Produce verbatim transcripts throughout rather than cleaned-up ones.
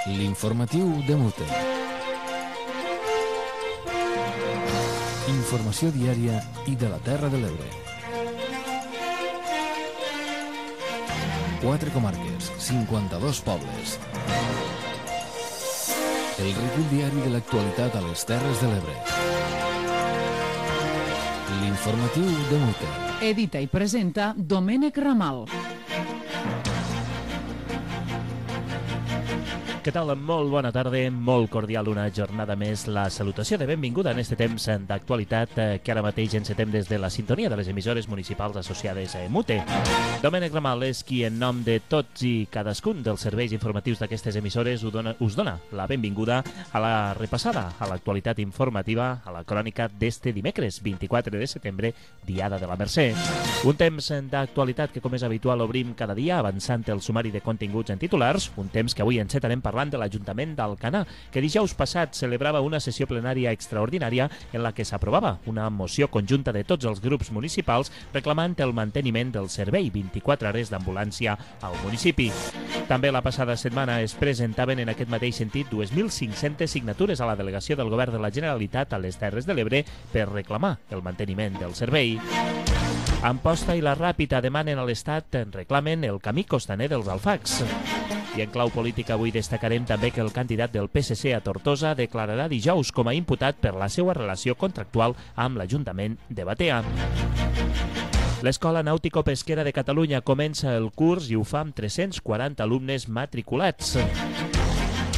L'informatiu de Mute. Informació diària i de la Terra de l'Ebre. Quatre comarques, cinquanta-dos pobles. El recull diari de l'actualitat a les Terres de l'Ebre. L'informatiu de Mute. Edita i presenta Domènec Ramal. Què tal? Molt bona tarda, molt cordial una jornada més. La salutació de benvinguda en este temps d'actualitat que ara mateix encetem des de la sintonia de les emissores municipals associades a Mute. Domènec Ramal és qui, en nom de tots i cadascun dels serveis informatius d'aquestes emissores, us dona, us dona la benvinguda a la repassada, a l'actualitat informativa, a la crònica d'este dimecres, vint-i-quatre de setembre, Diada de la Mercè. Un temps d'actualitat que, com és habitual, obrim cada dia avançant el sumari de continguts en titulars, un temps que avui encetarem parlant de l'Ajuntament d'Alcanar, que dijous passat celebrava una sessió plenària extraordinària en la que s'aprovava una moció conjunta de tots els grups municipals reclamant el manteniment del servei vint-i-quatre hores d'ambulància al municipi. També la passada setmana es presentaven en aquest mateix sentit dos mil cinc-centes signatures a la delegació del Govern de la Generalitat a les Terres de l'Ebre per reclamar el manteniment del servei. Amposta i la Ràpita demanen a l'Estat, reclamen el camí costaner dels Alfacs. I en clau política avui destacarem també que el candidat del P S C a Tortosa declararà dijous com a imputat per la seva relació contractual amb l'Ajuntament de Batea. L'Escola Nàutico-Pesquera de Catalunya comença el curs i ho fa amb tres-cents quaranta alumnes matriculats.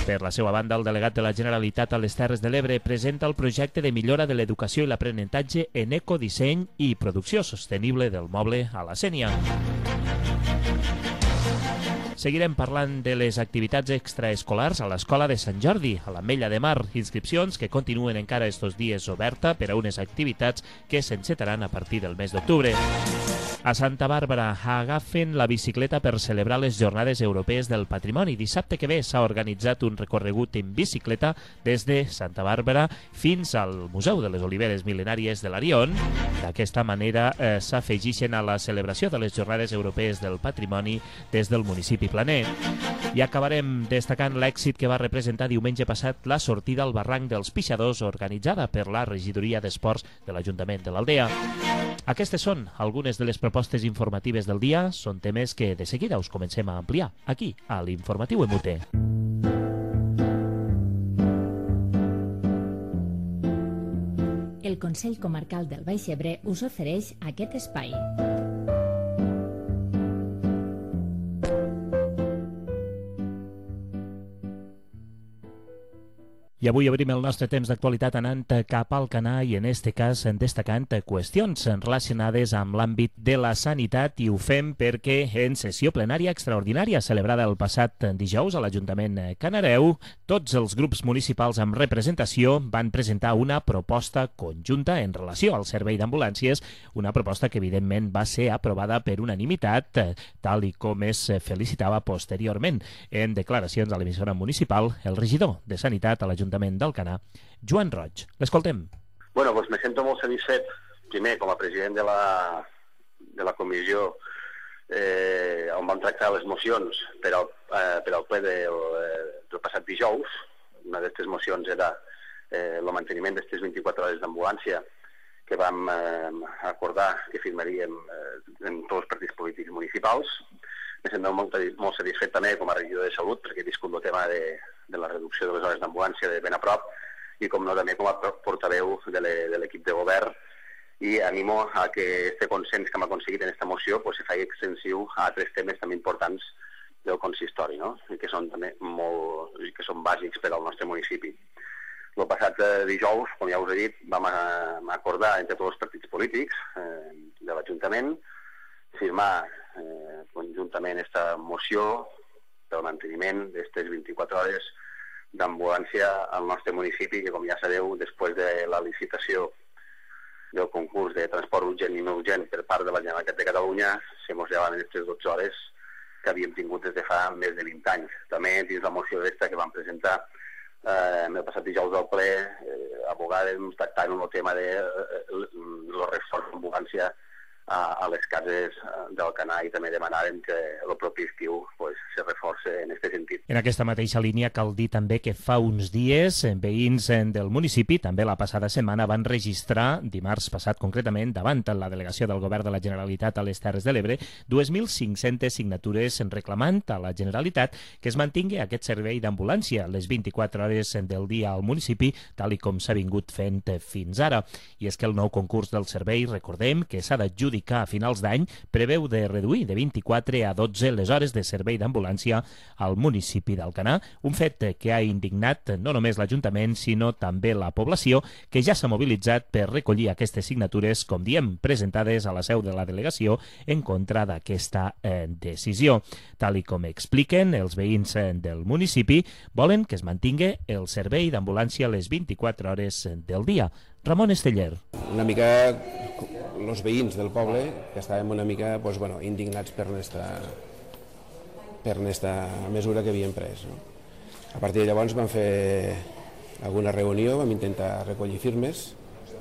Per la seva banda, el delegat de la Generalitat a les Terres de l'Ebre presenta el projecte de millora de l'educació i l'aprenentatge en ecodisseny i producció sostenible del moble a la Sénia. Seguirem parlant de les activitats extraescolars a l'Escola de Sant Jordi, a l'Ametlla de Mar, inscripcions que continuen encara estos dies oberta per a unes activitats que s'encetaran a partir del mes d'octubre. A Santa Bàrbara agafen la bicicleta per celebrar les Jornades Europees del Patrimoni. Dissabte que ve s'ha organitzat un recorregut en bicicleta des de Santa Bàrbara fins al Museu de les Oliveres Mil·lenàries de l'Arion. D'aquesta manera eh, s'afegixen a la celebració de les Jornades Europees del Patrimoni des del municipi planer. I acabarem destacant l'èxit que va representar diumenge passat la sortida al barranc dels Pixadors organitzada per la Regidoria d'Esports de l'Ajuntament de l'Aldea. Aquestes són algunes de les propostes informatives del dia. Són temes que de seguida us comencem a ampliar aquí, a l'Informatiu M U T. El Consell Comarcal del Baix Ebre us ofereix aquest espai. I avui obrim el nostre temps d'actualitat anant cap al Alcanar i en este cas destacant qüestions relacionades amb l'àmbit de la sanitat i ho fem perquè en sessió plenària extraordinària celebrada el passat dijous a l'Ajuntament Canareu, tots els grups municipals amb representació van presentar una proposta conjunta en relació al servei d'ambulàncies, una proposta que evidentment va ser aprovada per unanimitat, tal i com es felicitava posteriorment en declaracions a l'emissora municipal el regidor de Sanitat a l'Ajuntament d'Alcanar, Joan Roig. L'escoltem. Bueno, doncs me sento molt satisfet, primer, com a president de la, de la comissió eh, on vam tractar les mocions per al, eh, per al ple del, del passat dijous. Una d'aquestes mocions era eh, el manteniment d'aquestes vint-i-quatre hores d'ambulància que vam eh, acordar que firmaríem eh, en tots els partits polítics municipals. Me sento molt, molt satisfet també com a regidor de Salut perquè he viscut el tema de, de la reducció de les hores d'ambulància de ben a prop i com no també com a portaveu de l'equip de govern i animo a que este consens que hem aconseguit en aquesta moció pues, se faci extensiu a altres temes també importants del consistori, no? I que són també molt, i que són bàsics per al nostre municipi. El passat eh, dijous, com ja us he dit, vam a, acordar entre tots els partits polítics eh, de l'Ajuntament firmar eh, conjuntament aquesta moció del manteniment d'aquestes vint-i-quatre hores d'ambulància al nostre municipi, que com ja sabeu, després de la licitació del concurs de transport urgent i no urgent per part de la Generalitat de Catalunya, se mos llevaven aquestes dotze hores que havíem tingut des de fa més de vint anys. També dins la moció aquesta que vam presentar eh, el passat dijous del ple, eh, abogàvem tractant el tema de eh, el reforç d'ambulància a, a les cases d'Alcanar i també demanàvem que el propi estiu pues, se reforce en aquest sentit. En aquesta mateixa línia cal dir també que fa uns dies veïns del municipi, també la passada setmana, van registrar, dimarts passat concretament, davant la delegació del Govern de la Generalitat a les Terres de l'Ebre, dos mil cinc-centes signatures reclamant a la Generalitat que es mantingui aquest servei d'ambulància les vint-i-quatre hores del dia al municipi, tal i com s'ha vingut fent fins ara. I és que el nou concurs del servei, recordem que s'ha d'adjudicar a finals d'any, preveu de reduir de vint-i-quatre a dotze les hores de servei d'ambulància al municipi d'Alcanar, un fet que ha indignat no només l'Ajuntament, sinó també la població, que ja s'ha mobilitzat per recollir aquestes signatures, com diem, presentades a la seu de la delegació en contra d'aquesta eh, decisió. Tal i com expliquen els veïns eh, del municipi, volen que es mantingui el servei d'ambulància a les vint-i-quatre hores del dia. Ramon Esteller. Una mica els veïns del poble que estàvem una mica pues, bueno, indignats per aquesta per aquesta mesura que havien pres. No? A partir de llavors vam fer alguna reunió, vam intentar recollir firmes.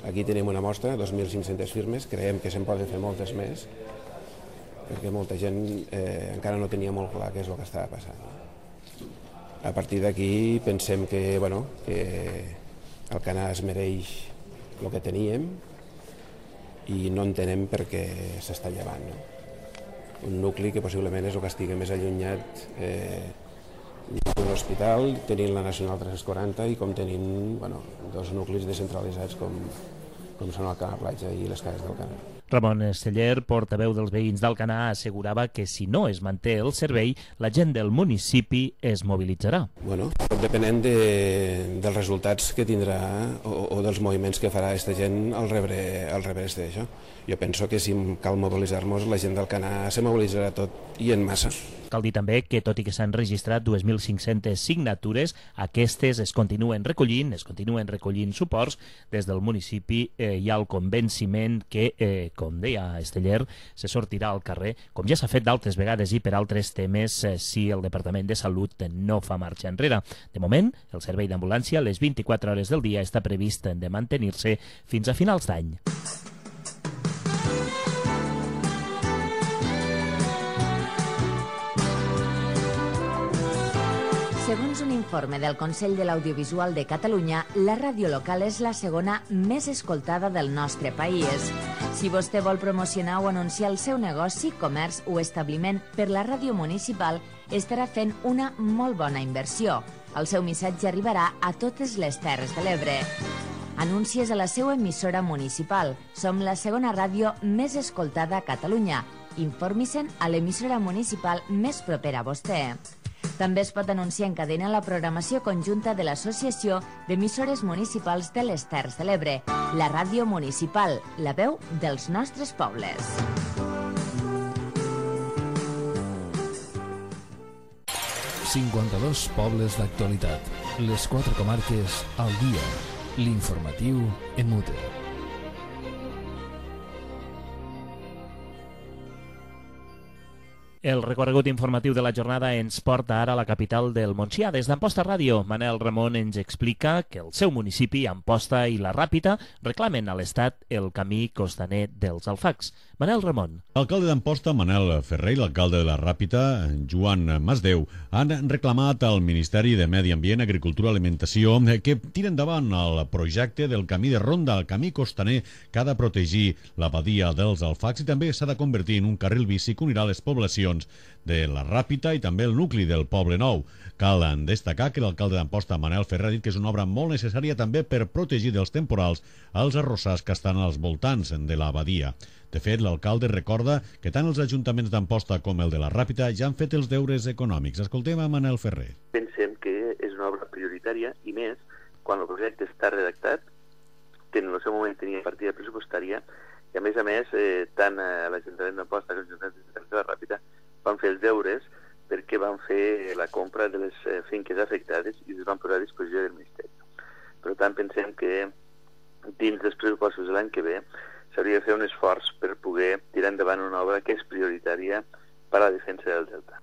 Aquí tenim una mostra, dos mil cinc-centes firmes, creiem que se'n poden fer moltes més, perquè molta gent eh, encara no tenia molt clar què és el que estava passant. A partir d'aquí pensem que, bueno, que Alcanar es mereix el que teníem i no entenem per què s'està llevant. No? Un nucli que possiblement és el que estigui més allunyat eh, d'un hospital, tenint la Nacional tres cents quaranta i com tenint bueno, dos nuclis descentralitzats com, com són Alcanar Platja i les cases d'Alcanar. Ramon Esteller, portaveu dels veïns d'Alcanar, assegurava que si no es manté el servei, la gent del municipi es mobilitzarà. Bueno, tot depenent de, dels resultats que tindrà o, o dels moviments que farà aquesta gent al rebre, al rebre d'això. Jo penso que si cal mobilitzar-nos, la gent d'Alcanar se mobilitzarà tot i en massa. Cal dir també que, tot i que s'han registrat dos mil cinc-centes signatures, aquestes es continuen recollint, es continuen recollint suports. Des del municipi eh, hi ha el convenciment que, eh, com deia Esteller, se sortirà al carrer, com ja s'ha fet d'altres vegades i per altres temes, eh, si el Departament de Salut no fa marxa enrere. De moment, el servei d'ambulància a les vint-i-quatre hores del dia està previst de mantenir-se fins a finals d'any. Segons un informe del Consell de l'Audiovisual de Catalunya, la ràdio local és la segona més escoltada del nostre país. Si vostè vol promocionar o anunciar el seu negoci, comerç o establiment per la ràdio municipal, estarà fent una molt bona inversió. El seu missatge arribarà a totes les Terres de l'Ebre. Anuncies a la seva emissora municipal. Som la segona ràdio més escoltada a Catalunya. Informi-se'n a l'emissora municipal més propera a vostè. També es pot anunciar en cadena la programació conjunta de l'Associació d'Emissores Municipals de les Terres de l'Ebre, la ràdio municipal, la veu dels nostres pobles. cinquanta-dos pobles d'actualitat. Les quatre comarques al dia. L'informatiu en Mute. El recorregut informatiu de la jornada ens porta ara a la capital del Montsià. Des d'Amposta Ràdio, Manel Ramon ens explica que el seu municipi, Amposta i la Ràpita, reclamen a l'Estat el camí costaner dels Alfacs. Manel Ramon. L'alcalde d'Amposta, Manel Ferrer, i l'alcalde de la Ràpita, Joan Masdeu, han reclamat al Ministeri de Medi Ambient, Agricultura i Alimentació que tiri endavant el projecte del camí de ronda, el camí costaner que ha de protegir la badia dels Alfacs i també s'ha de convertir en un carril bici que unirà les poblacions de la Ràpita i també el nucli del Poble Nou. Cal destacar que l'alcalde d'Amposta, Manel Ferrer, ha dit que és una obra molt necessària també per protegir dels temporals els arrossars que estan als voltants de la badia. De fet, l'alcalde recorda que tant els ajuntaments d'Amposta com el de la Ràpita ja han fet els deures econòmics. Escoltem a Manel Ferrer. Pensem que és una obra prioritària i més quan el projecte està redactat, que en el seu moment tenia partida pressupostària i a més a més eh, tant a l'Ajuntament d'Amposta com l'Ajuntament de la Ràpita van fer els deures perquè van fer la compra de les eh, finques afectades i es van posar a disposició del Ministeri. Per tant, pensem que dins dels pressupostos de l'any que ve s'hauria de fer un esforç per poder tirar endavant una obra que és prioritària per a la defensa del delta.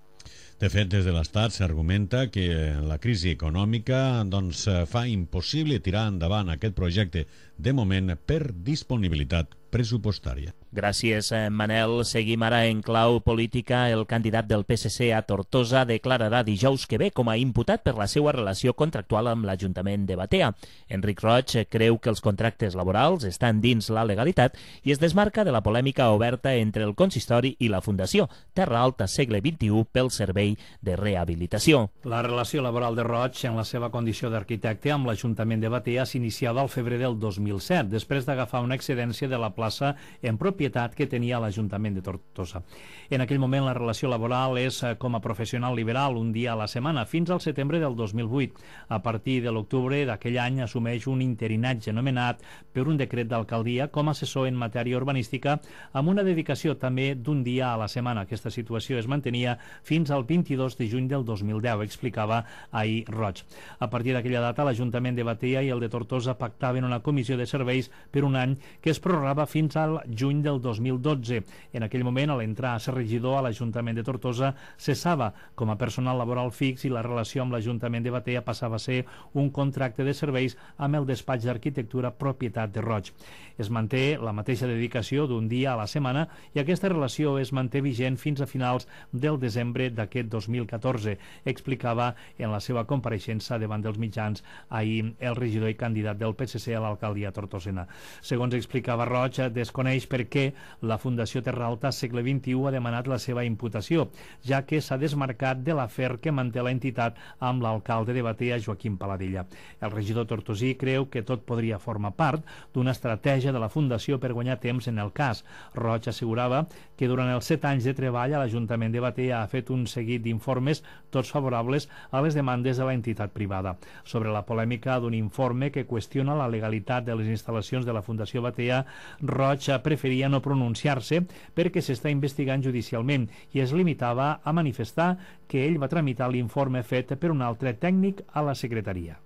De fet, des de l'Estat s'argumenta que la crisi econòmica doncs, fa impossible tirar endavant aquest projecte de moment per disponibilitat pressupostària. Gràcies, Manel. Seguim ara en clau política. El candidat del P S C a Tortosa declararà dijous que ve com a imputat per la seva relació contractual amb l'Ajuntament de Batea. Enric Roig creu que els contractes laborals estan dins la legalitat i es desmarca de la polèmica oberta entre el consistori i la Fundació Terra Alta Segle vint-i-u pel servei de rehabilitació. La relació laboral de Roig en la seva condició d'arquitecte amb l'Ajuntament de Batea s'iniciava al febrer del dos mil set, després d'agafar una excedència de la plaça en propietat que tenia l'Ajuntament de Tortosa. En aquell moment la relació laboral és com a professional liberal, un dia a la setmana, fins al setembre del dos mil vuit. A partir de l'octubre d'aquell any assumeix un interinatge nomenat per un decret d'alcaldia com a assessor en matèria urbanística amb una dedicació també d'un dia a la setmana. Aquesta situació es mantenia fins al vint-i-dos de juny del dos mil deu, explicava ahir Roig. A partir d'aquella data l'Ajuntament de Batea i el de Tortosa pactaven una comissió de serveis per un any que es prorrogava fins al juny del dos mil dotze. En aquell moment, a l'entrar a ser regidor a l'Ajuntament de Tortosa, cessava com a personal laboral fix i la relació amb l'Ajuntament de Batea passava a ser un contracte de serveis amb el despatx d'arquitectura propietat de Roig. Es manté la mateixa dedicació d'un dia a la setmana i aquesta relació es manté vigent fins a finals del desembre d'aquest dos mil catorze, explicava en la seva compareixença davant dels mitjans ahir el regidor i candidat del P S C a l'alcaldia tortosina. Segons explicava Roig, desconeix per què la Fundació Terra Alta Segle vint-i-u ha demanat la seva imputació, ja que s'ha desmarcat de l'afer que manté l'entitat amb l'alcalde de Batea, Joaquim Paladella. El regidor tortosí creu que tot podria formar part d'una estratègia de la Fundació per guanyar temps en el cas. Roig assegurava que durant els set anys de treball a l'Ajuntament de Batea ha fet un seguit d'informes, tots favorables a les demandes de la entitat privada. Sobre la polèmica d'un informe que qüestiona la legalitat de les instal·lacions de la Fundació Batea, Roig preferia no pronunciar-se perquè s'està investigant judicialment i es limitava a manifestar que ell va tramitar l'informe fet per un altre tècnic a la secretaria.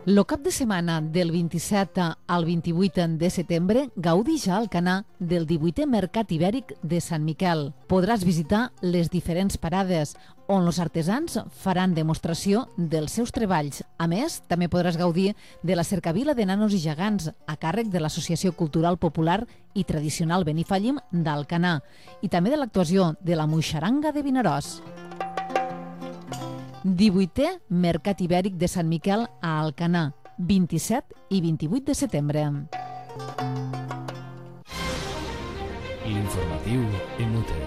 Lo cap de setmana del vint-i-set al vint-i-vuit de setembre gaudix a Alcanar del divuitè Mercat Ibèric de Sant Miquel. Podràs visitar les diferents parades on els artesans faran demostració dels seus treballs. A més, també podràs gaudir de la cercavila de nanos i gegants a càrrec de l'Associació Cultural Popular i Tradicional Benifallim d'Alcanar i també de l'actuació de la Moixaranga de Vinaròs. divuitè Mercat Ibèric de Sant Miquel a Alcanar, vint-i-set i vint-i-vuit de setembre. L'informatiu en Mute.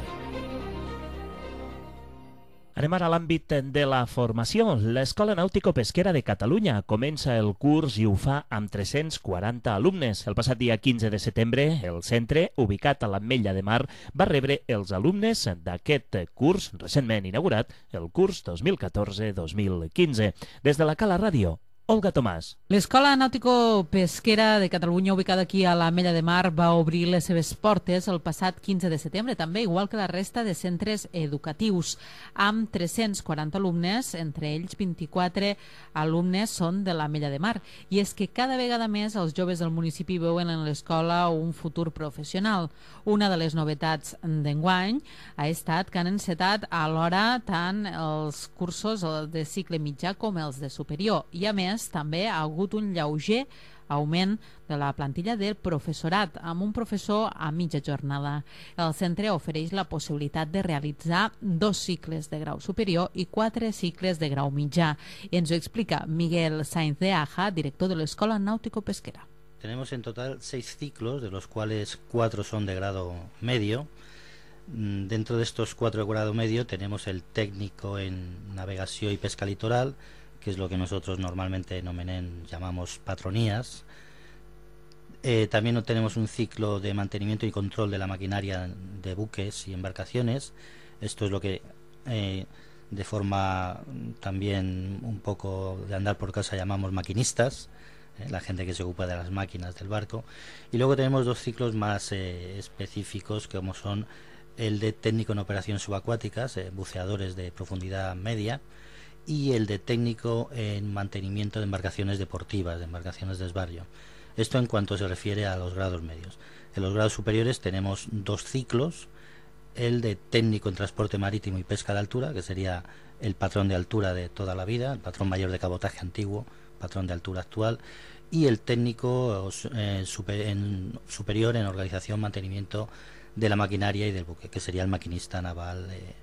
Anem ara a l'àmbit de la formació. L'Escola Nàutico-Pesquera de Catalunya comença el curs i ho fa amb tres-cents quaranta alumnes. El passat dia quinze de setembre, el centre, ubicat a l'Ametlla de Mar, va rebre els alumnes d'aquest curs recentment inaugurat, el curs dos mil catorze dos mil quinze. Des de la Cala Ràdio, Olga Tomàs. L'Escola Nàutico-Pesquera de Catalunya, ubicada aquí a l'Ametlla de Mar, va obrir les seves portes el passat quinze de setembre, també igual que la resta de centres educatius, amb tres-cents quaranta alumnes, entre ells vint-i-quatre alumnes són de l'Ametlla de Mar. I és que cada vegada més els joves del municipi veuen en l'escola un futur professional. Una de les novetats d'enguany ha estat que han encetat alhora tant els cursos de cicle mitjà com els de superior. I a més, també ha hagut un lleuger augment de la plantilla del professorat, amb un professor a mitja jornada. El centre ofereix la possibilitat de realitzar dos cicles de grau superior i quatre cicles de grau mitjà. Ens ho explica Miguel Sainz de Aja, director de l'Escola Náutico-Pesquera. Tenemos en total seis ciclos, de los cuales cuatro son de grado medio. Dentro de estos cuatro de grado medio tenemos el técnico en navegación y pesca litoral, que es lo que nosotros normalmente en Omenén llamamos patronías. Eh, también tenemos un ciclo de mantenimiento y control de la maquinaria de buques y embarcaciones. Esto es lo que eh, de forma también un poco de andar por casa llamamos maquinistas, eh, la gente que se ocupa de las máquinas del barco. Y luego tenemos dos ciclos más eh, específicos, como son el de técnico en operaciones subacuáticas, eh, buceadores de profundidad media, y el de técnico en mantenimiento de embarcaciones deportivas, de embarcaciones de desbarrio. Esto en cuanto se refiere a los grados medios. En los grados superiores tenemos dos ciclos, el de técnico en transporte marítimo y pesca de altura, que sería el patrón de altura de toda la vida, el patrón mayor de cabotaje antiguo, patrón de altura actual, y el técnico eh, super, en, superior en organización, mantenimiento de la maquinaria y del buque, que sería el maquinista naval eh,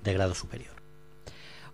de grado superior.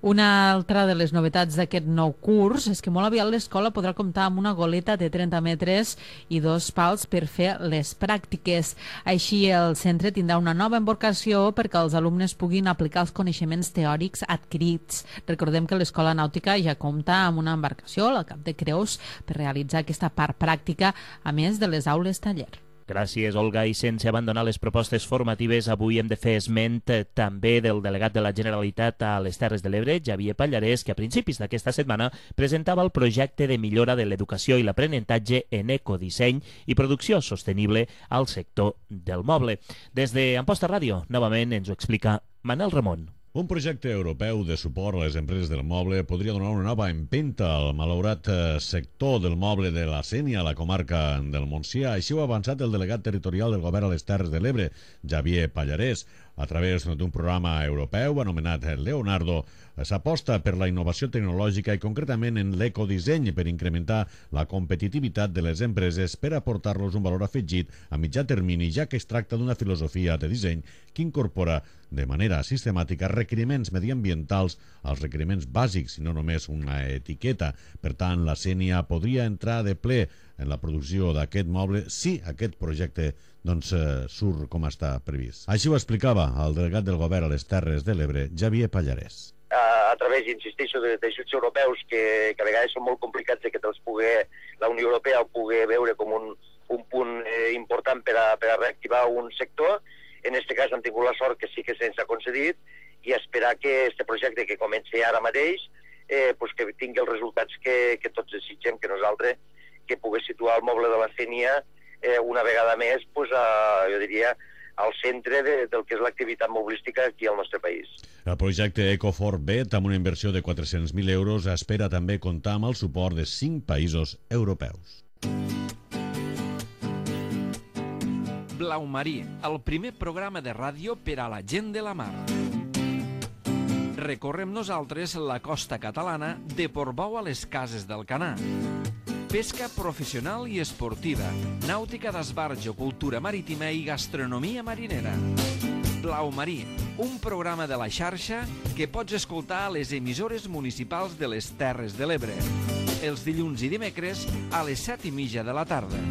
Una altra de les novetats d'aquest nou curs és que molt aviat l'escola podrà comptar amb una goleta de trenta metres i dos pals per fer les pràctiques. Així, el centre tindrà una nova embarcació perquè els alumnes puguin aplicar els coneixements teòrics adquirits. Recordem que l'escola nàutica ja compta amb una embarcació, al Cap de Creus, per realitzar aquesta part pràctica, a més de les aules taller. Gràcies, Olga. I sense abandonar les propostes formatives, avui hem de fer esment també del delegat de la Generalitat a les Terres de l'Ebre, Xavier Pallarès, que a principis d'aquesta setmana presentava el projecte de millora de l'educació i l'aprenentatge en ecodisseny i producció sostenible al sector del moble. Des d'Amposta Ràdio, novament ens ho explica Manel Ramon. Un projecte europeu de suport a les empreses del moble podria donar una nova empenta al malaurat sector del moble de la Sénia a la comarca del Montsià. Així ho ha avançat el delegat territorial del govern a les Terres de l'Ebre, Xavier Pallarès. A través d'un programa europeu anomenat Leonardo, s'aposta per la innovació tecnològica i concretament en l'ecodisseny per incrementar la competitivitat de les empreses per aportar-los un valor afegit a mitjà termini, ja que es tracta d'una filosofia de disseny que incorpora de manera sistemàtica requeriments mediambientals als requeriments bàsics i no només una etiqueta. Per tant, la Sénia podria entrar de ple en la producció d'aquest moble si aquest projecte doncs, eh, surt com està previst. Així ho explicava el delegat del govern a les Terres de l'Ebre, Xavier Pallarès. A, a través, insisteixo, d'ajuts europeus que, que a vegades són molt complicats de que te'ls pugui, la Unió Europea el pugui veure com un, un punt eh, important per a, per a reactivar un sector. En aquest cas hem tingut la sort que sí que se'ns ha concedit i esperar que aquest projecte que comenci ara mateix eh, pues que tingui els resultats que, que tots desitgem, que nosaltres que pugui situar el moble de la Sénia eh, una vegada més, pues, a, jo diria, al centre de, del que és l'activitat mobilística aquí al nostre país. El projecte Ecofort Bet, amb una inversió de quatre-cents mil euros, espera també comptar amb el suport de cinc països europeus. Blau Marí, el primer programa de ràdio per a la gent de la mar. Recorrem nosaltres la costa catalana de Portbou a les Cases d'Alcanar. Pesca professional i esportiva, nàutica d'esbarjo, cultura marítima i gastronomia marinera. Blau Marí, un programa de la xarxa que pots escoltar a les emissores municipals de les Terres de l'Ebre, els dilluns i dimecres a les set i mitja de la tarda.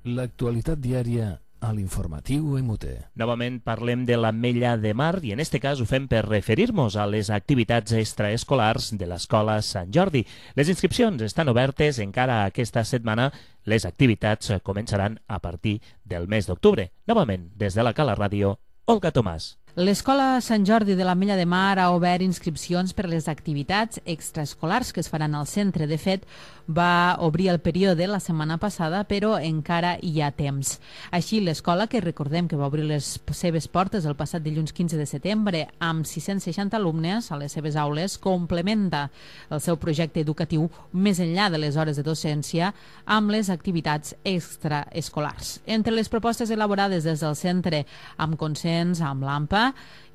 L'actualitat diària a l'informatiu M U T. Novament parlem de l'Ametlla de Mar i en este cas ho fem per referir-nos a les activitats extraescolars de l'Escola Sant Jordi. Les inscripcions estan obertes encara aquesta setmana. Les activitats començaran a partir del mes d'octubre. Novament, des de la Cala Ràdio, Olga Tomàs. L'Escola Sant Jordi de l'Ametlla de Mar ha obert inscripcions per a les activitats extraescolars que es faran al centre. De fet, va obrir el període la setmana passada, però encara hi ha temps. Així, l'escola, que recordem que va obrir les seves portes el passat dilluns quinze de setembre amb sis-cents seixanta alumnes a les seves aules, complementa el seu projecte educatiu més enllà de les hores de docència amb les activitats extraescolars. Entre les propostes elaborades des del centre amb consens amb l'A M P A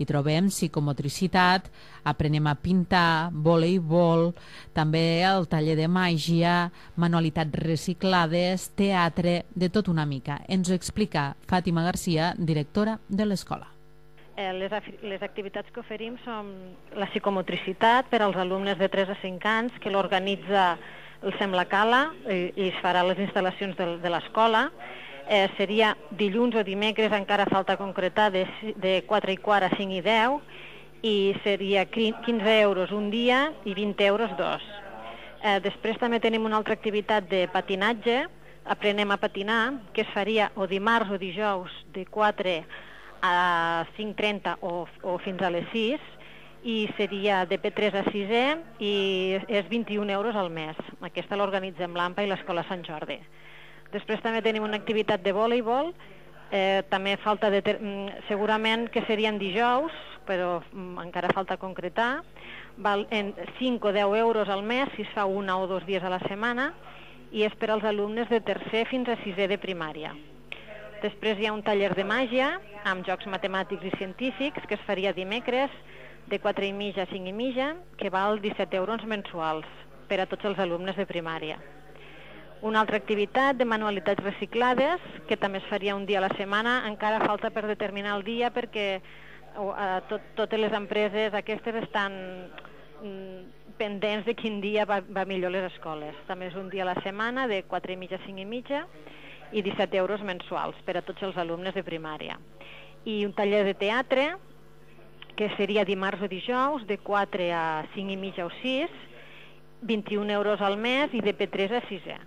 hi trobem psicomotricitat, aprenem a pintar, voleibol, també el taller de màgia, manualitats reciclades, teatre, de tot una mica. Ens ho explica Fàtima Garcia, directora de l'escola. Eh, les, les activitats que oferim són la psicomotricitat per als alumnes de tres a cinc anys, que l'organitza el Sembla Cala i, i es farà a les instal·lacions de, de l'escola. Eh, seria dilluns o dimecres, encara falta concretar, de, de quatre i quart a cinc i deu, i seria quinze euros un dia i vint euros dos. Eh, després també tenim una altra activitat de patinatge, aprenem a patinar, que es faria o dimarts o dijous de quatre a cinc trenta o, o fins a les sis, i seria de P tres a sisè i és vint-i-un euros al mes. Aquesta l'organitzem l'A M P A i l'Escola Sant Jordi. Després també tenim una activitat de voleibol, eh, també falta de segurament que serien dijous, però mm, encara falta concretar. Val en cinc o deu euros al mes si es fa una o dos dies a la setmana i és per als alumnes de tercer fins a sisè de primària. Després hi ha un taller de màgia amb jocs matemàtics i científics que es faria dimecres de quatre i mitja a cinc i mitja, que val disset euros mensuals per a tots els alumnes de primària. Una altra activitat de manualitats reciclades, que també es faria un dia a la setmana, encara falta per determinar el dia perquè uh, tot, totes les empreses aquestes estan mm, pendents de quin dia va, va millor les escoles. També és un dia a la setmana de quatre i mitja a cinc i mitja i disset euros mensuals per a tots els alumnes de primària. I un taller de teatre, que seria dimarts o dijous, de quatre a cinc i mitja o sis, vint-i-un euros al mes i de P tres a sisè.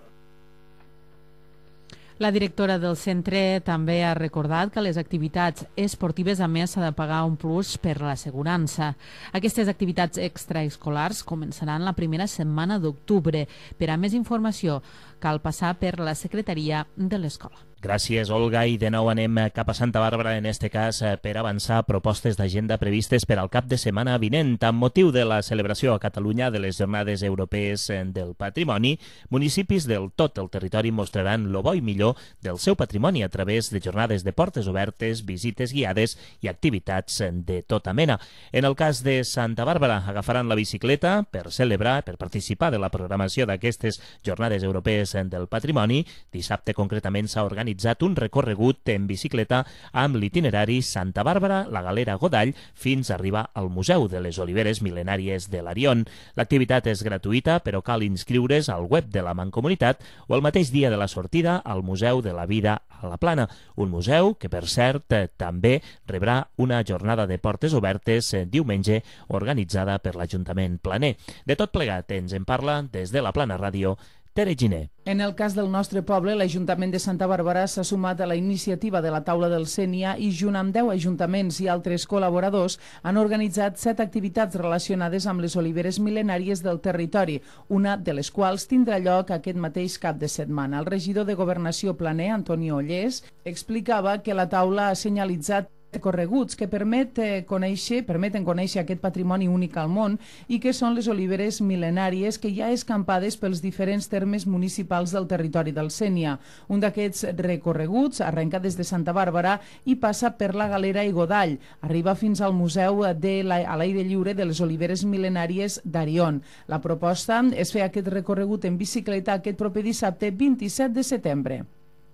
La directora del centre també ha recordat que les activitats esportives a més s'ha de pagar un plus per l'assegurança. Aquestes activitats extraescolars començaran la primera setmana d'octubre. Per a més informació cal passar per la secretaria de l'escola. Gràcies, Olga, i de nou anem cap a Santa Bàrbara, en este cas per avançar propostes d'agenda previstes per al cap de setmana vinent. Amb motiu de la celebració a Catalunya de les Jornades Europees del Patrimoni, municipis del tot el territori mostraran lo bo i millor del seu patrimoni a través de jornades de portes obertes, visites guiades i activitats de tota mena. En el cas de Santa Bàrbara, agafaran la bicicleta per celebrar, per participar de la programació d'aquestes Jornades Europees del Patrimoni. Dissabte, concretament, s'ha organitzat un recorregut en bicicleta amb l'itinerari Santa Bàrbara, la Galera Godall, fins a arribar al Museu de les Oliveres Mil·lenàries de l'Arion. L'activitat és gratuïta, però cal inscriure's al web de la Mancomunitat o el mateix dia de la sortida al Museu de la Vida a la Plana, un museu que, per cert, també rebrà una jornada de portes obertes diumenge organitzada per l'Ajuntament planer. De tot plegat ens en parla des de la Plana Ràdio Tere Giner. En el cas del nostre poble, l'Ajuntament de Santa Bàrbara s'ha sumat a la iniciativa de la taula del Sénia i, junt amb deu ajuntaments i altres col·laboradors, han organitzat set activitats relacionades amb les oliveres mil·lenàries del territori, una de les quals tindrà lloc aquest mateix cap de setmana. El regidor de Governació planer, Antonio Ollés, explicava que la taula ha senyalitzat recorreguts que permet conèixer, permeten conèixer aquest patrimoni únic al món i que són les oliveres mil·lenàries que hi ha escampades pels diferents termes municipals del territori del Sénia. Un d'aquests recorreguts arrenca des de Santa Bàrbara i passa per la Galera i Godall. Arriba fins al Museu de la, a l'aire lliure de les oliveres mil·lenàries d'Arion. La proposta és fer aquest recorregut en bicicleta aquest proper dissabte vint-i-set de setembre.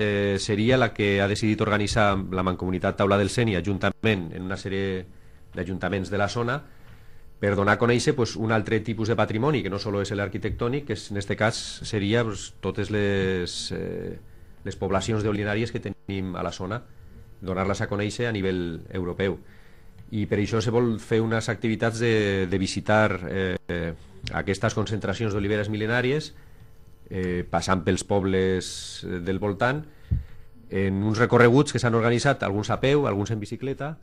Eh, seria la que ha decidit organitzar la Mancomunitat Taula del Sénia juntament en una sèrie d'ajuntaments de la zona per donar a conèixer pues, un altre tipus de patrimoni que no sols és l'arquitectònic, que en aquest cas seria pues, totes les, eh, les poblacions d'olivenàries que tenim a la zona, donar-les a conèixer a nivell europeu. I per això se vol fer unes activitats de, de visitar eh, aquestes concentracions d'oliveres mil·lenàries, Eh, passant pels pobles del voltant, en uns recorreguts que s'han organitzat, alguns a peu, alguns en bicicleta,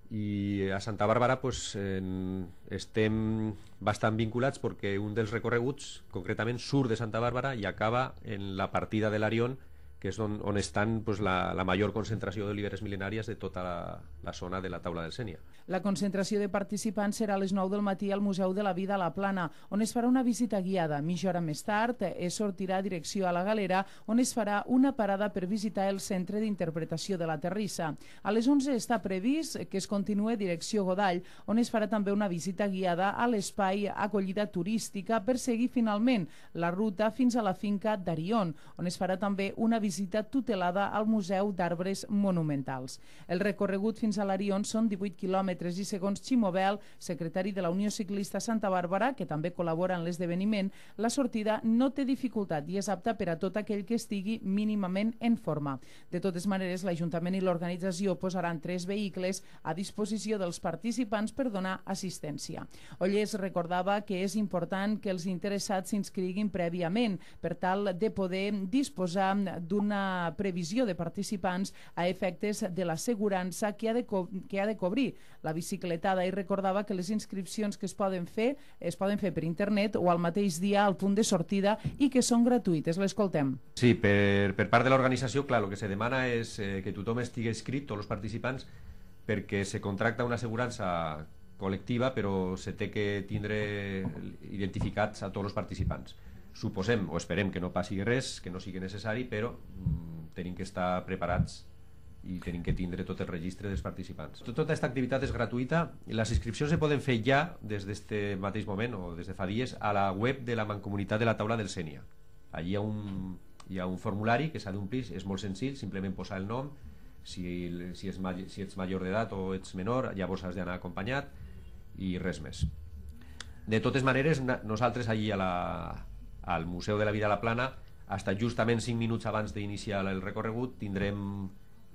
i a Santa Bàrbara pues, en, estem bastant vinculats perquè un dels recorreguts concretament surt de Santa Bàrbara i acaba en la partida de l'Arion, que és on, on estan pues, la, la major concentració d'oliveres mil·lenàries de tota la, la zona de la taula del Sénia. La concentració de participants serà a les nou del matí al Museu de la Vida a la Plana, on es farà una visita guiada. Mitja hora més tard es sortirà a direcció a la Galera, on es farà una parada per visitar el Centre d'Interpretació de la Terrissa. A les onze està previst que es continue direcció Godall, on es farà també una visita guiada a l'espai acollida turística per seguir finalment la ruta fins a la finca d'Arion, on es farà també una visita tutelada al Museu d'Arbres Monumentals. El recorregut fins a l'Arion són divuit quilòmetres i segons Ximo Bel, secretari de la Unió Ciclista Santa Bàrbara, que també col·labora en l'esdeveniment, la sortida no té dificultat i és apta per a tot aquell que estigui mínimament en forma. De totes maneres, l'Ajuntament i l'organització posaran tres vehicles a disposició dels participants per donar assistència. Ollés recordava que és important que els interessats s'inscriguin prèviament per tal de poder disposar d'una previsió de participants a efectes de l'assegurança que ha de co que ha de cobrir la bicicletada, i recordava que les inscripcions que es poden fer es poden fer per internet o al mateix dia al punt de sortida i que són gratuïtes. L'escoltem. Sí, per, per part de l'organització, clar, el que se demana és eh, que tothom estigui inscrit, tots els participants, perquè se contracta una assegurança col·lectiva, però se té que tindre identificats a tots els participants. Suposem o esperem que no passi res, que no sigui necessari, però mm, tenim que estar preparats i tenim que tindre tot el registre dels participants. Tota aquesta activitat és gratuïta i les inscripcions se poden fer ja des d'aquest mateix moment o des de fa dies a la web de la Mancomunitat de la Taula del Sénia. Allí hi ha un, hi ha un formulari que s'ha d'omplir, és molt senzill, simplement posar el nom, si, si, és, si ets major d'edat o ets menor, llavors has d'anar acompanyat i res més. De totes maneres, nosaltres allí a la, al Museu de la Vida a la Plana, fins justament cinc minuts abans d'iniciar el recorregut, tindrem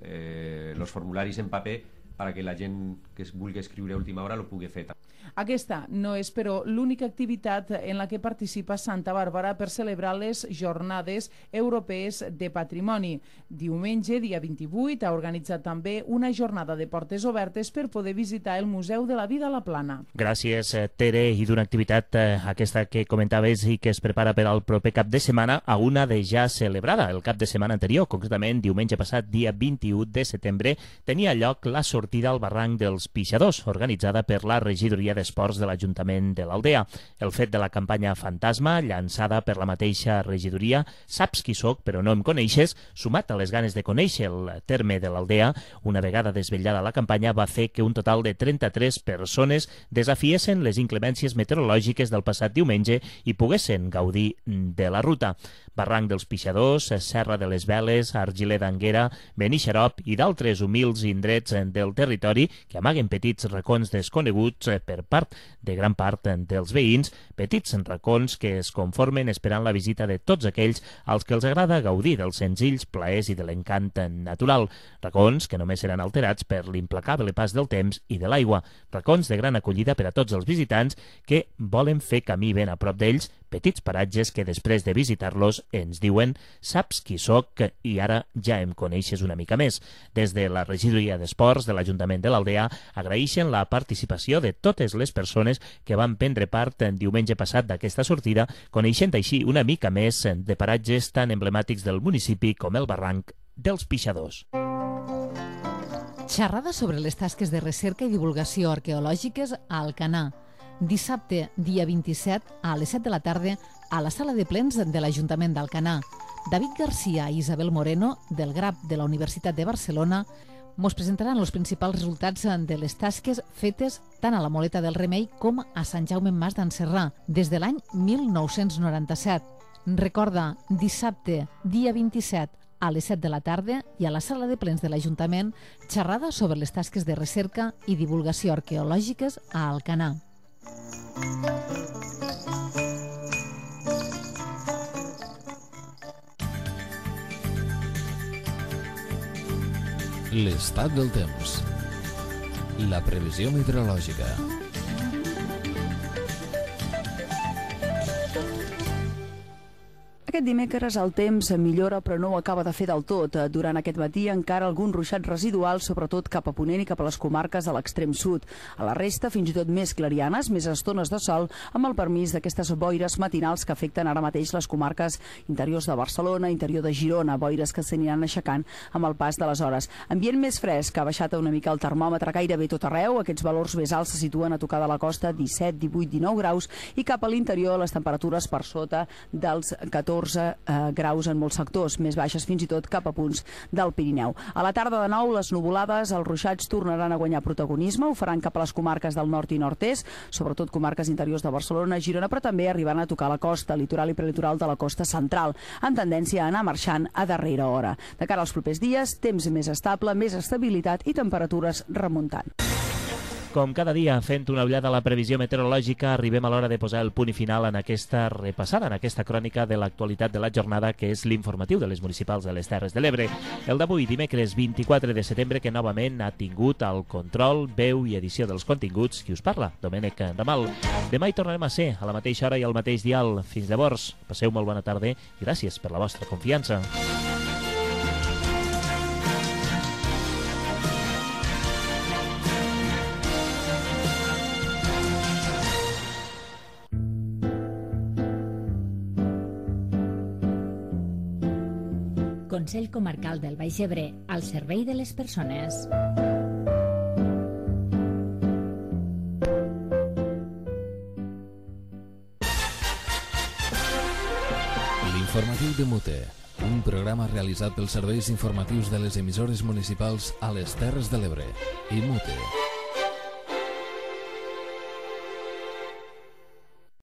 eh, els formularis en paper perquè la gent que es vulgui escriure a última hora lo pugui fer. Aquesta no és, però, l'única activitat en la que participa Santa Bàrbara per celebrar les Jornades Europees de Patrimoni. Diumenge, dia vint-i-vuit, ha organitzat també una jornada de portes obertes per poder visitar el Museu de la Vida a la Plana. Gràcies, Tere, i d'una activitat, eh, aquesta que comentaves i que es prepara per al proper cap de setmana, a una de ja celebrada el cap de setmana anterior, concretament diumenge passat, dia vint-i-u de setembre, tenia lloc la sortida al barranc dels Pixadors, organitzada per la regidoria d'Esports de l'Ajuntament de l'Aldea. El fet de la campanya Fantasma, llançada per la mateixa regidoria, Saps qui soc però no em coneixes, sumat a les ganes de conèixer el terme de l'Aldea, una vegada desvetllada la campanya, va fer que un total de trenta-tres persones desafiessin les inclemències meteorològiques del passat diumenge i poguessin gaudir de la ruta. Barranc dels Pixadors, Serra de les Veles, Argiler d'Anguera, Benixarop i d'altres humils indrets del territori que amaguen petits racons desconeguts per part de gran part dels veïns, petits racons que es conformen esperant la visita de tots aquells als que els agrada gaudir dels senzills plaers i de l'encant natural. Racons que només seran alterats per l'implacable pas del temps i de l'aigua. Racons de gran acollida per a tots els visitants que volen fer camí ben a prop d'ells, petits paratges que després de visitar-los ens diuen saps qui soc i ara ja em coneixes una mica més. Des de la regidoria d'Esports de l'Ajuntament de l'Aldea agraeixen la participació de totes les persones que van prendre part en diumenge passat d'aquesta sortida, coneixent així una mica més de paratges tan emblemàtics del municipi com el barranc dels Pixadors. Xerrada sobre les tasques de recerca i divulgació arqueològiques a Alcanar. Dissabte, dia vint-i-set, a les set de la tarda, a la sala de plens de l'Ajuntament d'Alcanar. David Garcia i Isabel Moreno, del G R A P de la Universitat de Barcelona, mos presentaran els principals resultats de les tasques fetes tant a la Moleta del Remei com a Sant Jaume Mas d'Encerrà, des de l'any mil nou-cents noranta-set. Recorda, dissabte, dia vint-i-set, a les set de la tarda i a la sala de plens de l'Ajuntament, xerrada sobre les tasques de recerca i divulgació arqueològiques a Alcanar. L'estat del temps. La previsió meteorològica. Aquest dimecres el temps millora però no ho acaba de fer del tot. Durant aquest matí encara algun ruixat residual, sobretot cap a Ponent i cap a les comarques de l'extrem sud. A la resta, fins i tot més clarianes, més estones de sol, amb el permís d'aquestes boires matinals que afecten ara mateix les comarques interiors de Barcelona, interior de Girona, boires que s'aniran aixecant amb el pas de les hores. Ambient més fresc, que ha baixat una mica el termòmetre gairebé tot arreu. Aquests valors més alts se situen a tocar de la costa, disset, divuit, dinou graus, i cap a l'interior les temperatures per sota dels catorze graus en molts sectors, més baixes fins i tot cap a punts del Pirineu. A la tarda de nou, les nuvolades, els ruixats tornaran a guanyar protagonisme, ho faran cap a les comarques del nord i nord-est, sobretot comarques interiors de Barcelona, Girona, però també arribant a tocar la costa, litoral i prelitoral de la costa central, amb tendència a anar marxant a darrera hora. De cara als propers dies, temps més estable, més estabilitat i temperatures remuntant. Com cada dia, fent una ullada a la previsió meteorològica, arribem a l'hora de posar el punt i final en aquesta repassada, en aquesta crònica de l'actualitat de la jornada, que és l'informatiu de les municipals de les Terres de l'Ebre. El d'avui, dimecres vint-i-quatre de setembre, que novament ha tingut el control, veu i edició dels continguts, qui us parla, Domènec Ramal. Demà hi tornarem a ser, a la mateixa hora i al mateix dial. Fins llavors, passeu molt bona tarda i gràcies per la vostra confiança. Consell Comarcal del Baix Ebre, al servei de les persones. L'informatiu de Mute. Un programa realitzat pels serveis informatius de les emissores municipals a les Terres de l'Ebre. I Mute.